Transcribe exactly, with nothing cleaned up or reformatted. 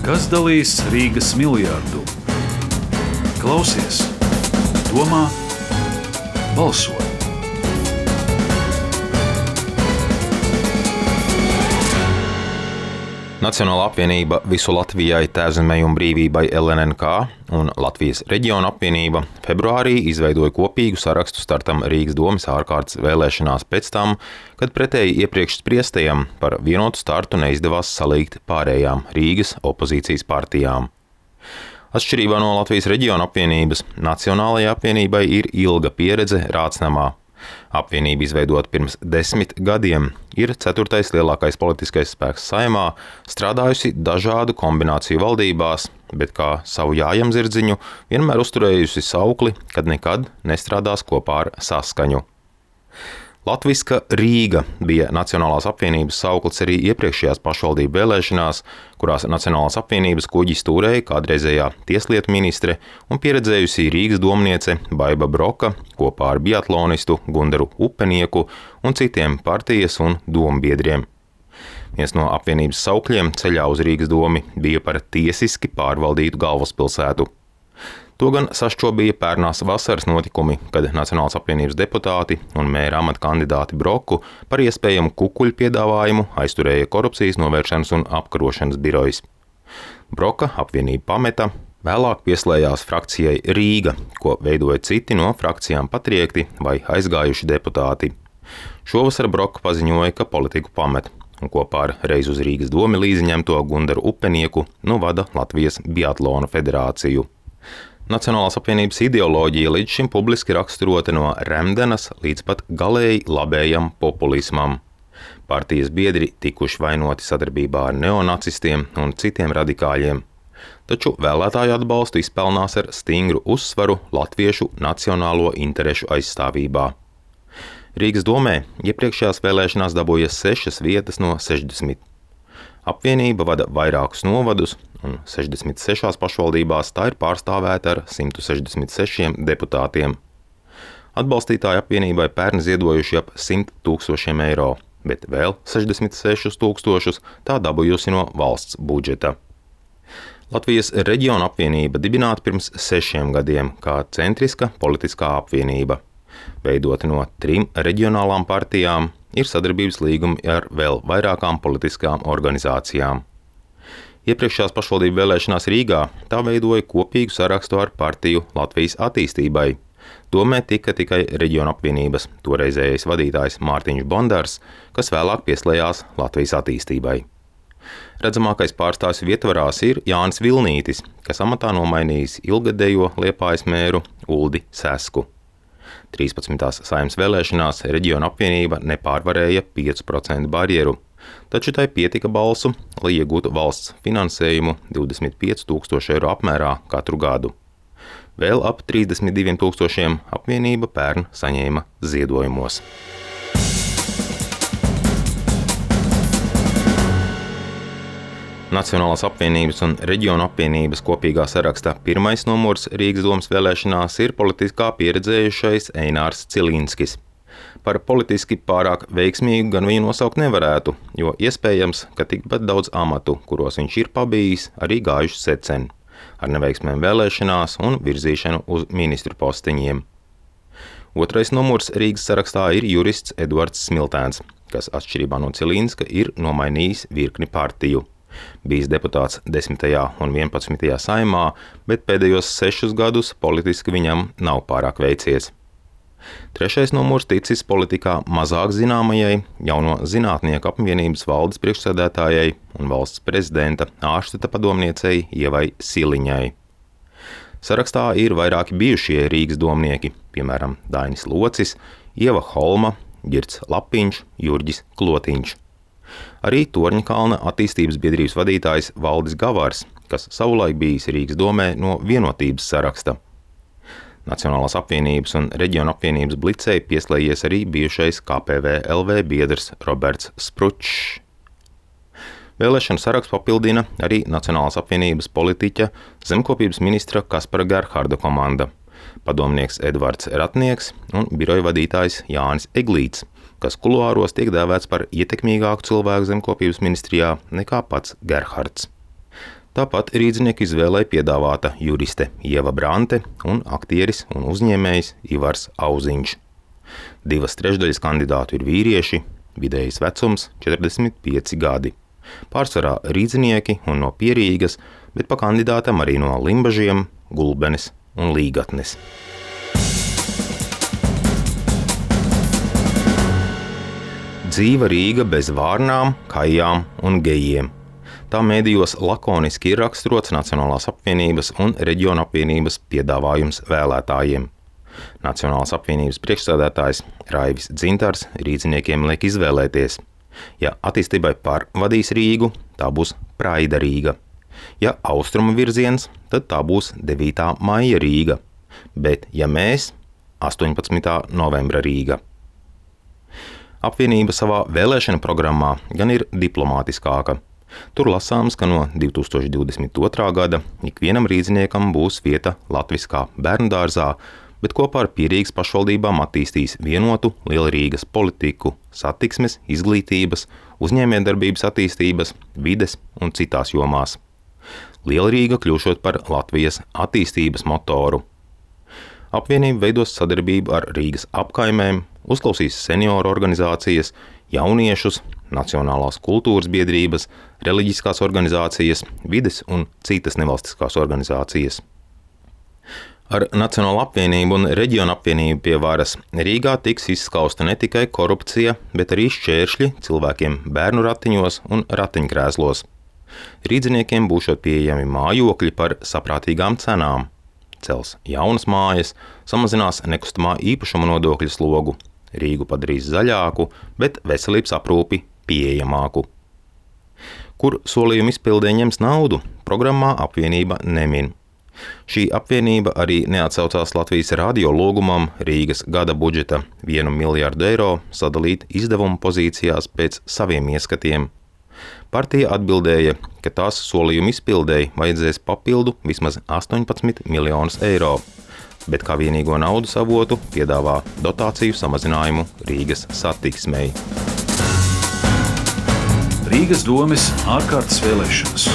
Kas dalīs Rīgas miljardu? Klausies, domā, balso! Nacionālā apvienība Visu Latvijai, Tēvzemei un brīvībai L N N K un Latvijas reģiona apvienība februārī izveidoja kopīgu sarakstu startam Rīgas domes ārkārtas vēlēšanās pēc tam, kad pretēji iepriekš spriestajam par vienotu startu neizdevās salīgt pārējām Rīgas opozīcijas partijām. Atšķirībā no Latvijas reģiona apvienības, Nacionālajai apvienībai ir ilga pieredze Rācnamā. Apvienība izveidota pirms desmit gadiem, ir ceturtais lielākais politiskais spēks Saeimā, strādājusi dažādu kombināciju valdībās, bet kā savu jājamzirdziņu vienmēr uzturējusi saukli, kad nekad nestrādās kopā ar Saskaņu. Latviska Rīga bija Nacionālās apvienības sauklis arī iepriekšējās pašvaldību vēlēšanās, kurās Nacionālās apvienības kuģi stūrēja kādreizējā tieslietu ministre un pieredzējusī Rīgas domniece Baiba Broka kopā ar biatlonistu Gundaru Upenieku un citiem partijas un dombiedriem. Viens no apvienības saukļiem ceļā uz Rīgas domi bija par tiesiski pārvaldītu galvaspilsētu. To gan sašķobīja pērnās vasaras notikumi, kad Nacionālās apvienības deputāti un mēra amata kandidāti Broku par iespējamu kukuļu piedāvājumu aizturēja korupcijas novēršanas un apkarošanas birojas. Broka apvienību pameta, vēlāk pieslējās frakcijai Rīga, ko veidoja citi no frakcijām patriekti vai aizgājuši deputāti. Šovasar Broka paziņoja, ka politiku pamet, un kopā ar reiz uz Rīgas domi līdziņemto Gundaru Upenieku nu vada Latvijas biatlona federāciju. Nacionālās apvienības ideoloģija līdz šim publiski raksturota no remdenas līdz pat galēji labējam populismam. Partijas biedri tikuši vainoti sadarbībā ar neonacistiem un citiem radikāļiem, taču vēlētāju atbalstu izpelnās ar stingru uzsvaru latviešu nacionālo interešu aizstāvībā. Rīgas domē iepriekšējās vēlēšanās dabūja sešas vietas no sešdesmit. Apvienība vada vairākus novadus, un sešdesmit sešās pašvaldībās tā ir pārstāvēta ar simt sešdesmit sešiem deputātiem. Atbalstītāji apvienībai pērn ziedojuši ap simt tūkstošiem eiro, bet vēl sešdesmit sešus tūkstošus tā dabūjusi no valsts budžeta. Latvijas reģiona apvienība dibināta pirms sešiem gadiem kā centriska politiskā apvienība. Veidota no trim reģionālām partijām, ir sadarbības līgumi ar vēl vairākām politiskām organizācijām. Iepriekšējās pašvaldību vēlēšanās Rīgā tā veidoja kopīgu sarakstu ar partiju Latvijas attīstībai. Domē tika tikai reģiona apvienības toreizējais vadītājs Mārtiņš Bondars, kas vēlāk pieslējās Latvijas attīstībai. Redzamākais pārstāvs vietvarās ir Jānis Vilnītis, kas amatā nomainījis ilgadējo Liepājas mēru Uldi Sesku. trīspadsmitās Saeimas vēlēšanās reģiona apvienība nepārvarēja piecu procentu barjeru, taču tai pietika balsu, lai iegūtu valsts finansējumu divdesmit pieci tūkstoši eiro apmērā katru gadu. Vēl ap trīsdesmit diviem tūkstošiem apvienība pērn saņēma ziedojumos. Nacionālās apvienības un reģiona apvienības kopīgā sarakstā pirmais numurs Rīgas domes vēlēšanās ir politiskā pieredzējušais Einārs Cilinskis. Par politiski pārāk veiksmīgu gan viņu nosaukt nevarētu, jo iespējams, ka tikpat daudz amatu, kuros viņš ir pabijis, arī gājuši secen, ar neveiksmēm vēlēšanās un virzīšanu uz ministru posteņiem. Otrais numurs Rīgas sarakstā ir jurists Edvards Smiltēns, kas atšķirībā no Cilinska ir nomainījis virkni partiju. Bijis deputāts desmitajā un vienpadsmitajā Saeimā, bet pēdējos sešus gadus politiski viņam nav pārāk veicies. Trešais numurs ticis politikā mazāk zināmajai, jauno zinātnieku apvienības valdes priekšsēdētājai un valsts prezidenta ārštata padomniecei Ievai Siliņai. Sarakstā ir vairāki bijušie Rīgas domnieki, piemēram, Dainis Locis, Ieva Holma, Girts Lapiņš, Jurģis Klotiņš. Arī Torņakalna attīstības biedrības vadītājs Valdis Gavārs, kas savulaik bijis Rīgas domē no vienotības saraksta. Nacionālās apvienības un reģiona apvienības blicei pieslējies arī bijušais K P V L V biedrs Roberts Spručs. Vēlēšanu sarakstu papildina arī Nacionālās apvienības politiķa zemkopības ministra Kaspara Gerharda komanda, padomnieks Edvards Ratnieks un biroja vadītājs Jānis Eglīts, kas kuluāros tiek dēvēts par ietekmīgāku cilvēku zemkopības ministrijā nekā pats Gerhards. Tāpat rīdzinieku izvēlei piedāvāta juriste Ieva Brante un aktieris un uzņēmējs Ivars Auziņš. Divas trešdaļas kandidātu ir vīrieši, vidējais vecums četrdesmit pieci gadi. Pārsvarā rīdzinieki un no Pierīgas, bet pa kandidātam arī no Limbažiem, Gulbenes un Līgatnes. Dzīva Rīga bez vārnām, kajām un gejiem. Tā mēdījos lakoniski ir raksturots Nacionālās apvienības un Reģiona apvienības piedāvājums vēlētājiem. Nacionālās apvienības priekšsēdētājs Raivis Dzintars rīdziniekiem liek izvēlēties. Ja attīstībai par vadīs Rīgu, tā būs Praida Rīga. Ja austrumu virziens, tad tā būs devītā maija Rīga. Bet ja mēs, astoņpadsmitā novembra Rīga. Apvienība savā vēlēšana programmā gan ir diplomātiskāka. Tur lasāms, ka no divi tūkstoši divdesmit otrā gada ikvienam rīdziniekam būs vieta latviskā bērndārzā, bet kopā ar Pierīgas pašvaldībām attīstīs vienotu Lielrīgas politiku, satiksmes, izglītības, uzņēmējdarbības attīstības, vides un citās jomās. Lielrīga kļūšot par Latvijas attīstības motoru. Apvienība veidos sadarbību ar Rīgas apkaimēm, uzklausīs senioru organizācijas, jauniešus, nacionālās kultūras biedrības, reliģiskās organizācijas, vides un citas nevalstiskās organizācijas. Ar Nacionālo apvienību un Reģiona apvienību pie varas Rīgā tiks izskausta ne tikai korupcija, bet arī šķēršļi cilvēkiem bērnu ratiņos un ratiņkrēslos. Rīdziniekiem būšot pieejami mājokļi par saprātīgām cenām. Cels jaunas mājas, samazinās nekustamā īpašuma nodokļa slogu, Rīgu padarīs zaļāku, bet veselības aprūpi pieejamāku. Kur solījuma izpildē ņems naudu, programmā apvienība nemin. Šī apvienība arī neatsaucās Latvijas radio lūgumam Rīgas gada budžeta vienu miljardu eiro sadalīt izdevumu pozīcijās pēc saviem ieskatiem. Partija atbildēja, ka tās solījuma izpildēji vajadzēs papildu vismaz astoņpadsmit miljonus eiro, bet kā vienīgo naudas avotu piedāvā dotāciju samazinājumu Rīgas satiksmei. Rīgas domes ārkārtas vēlēšanas.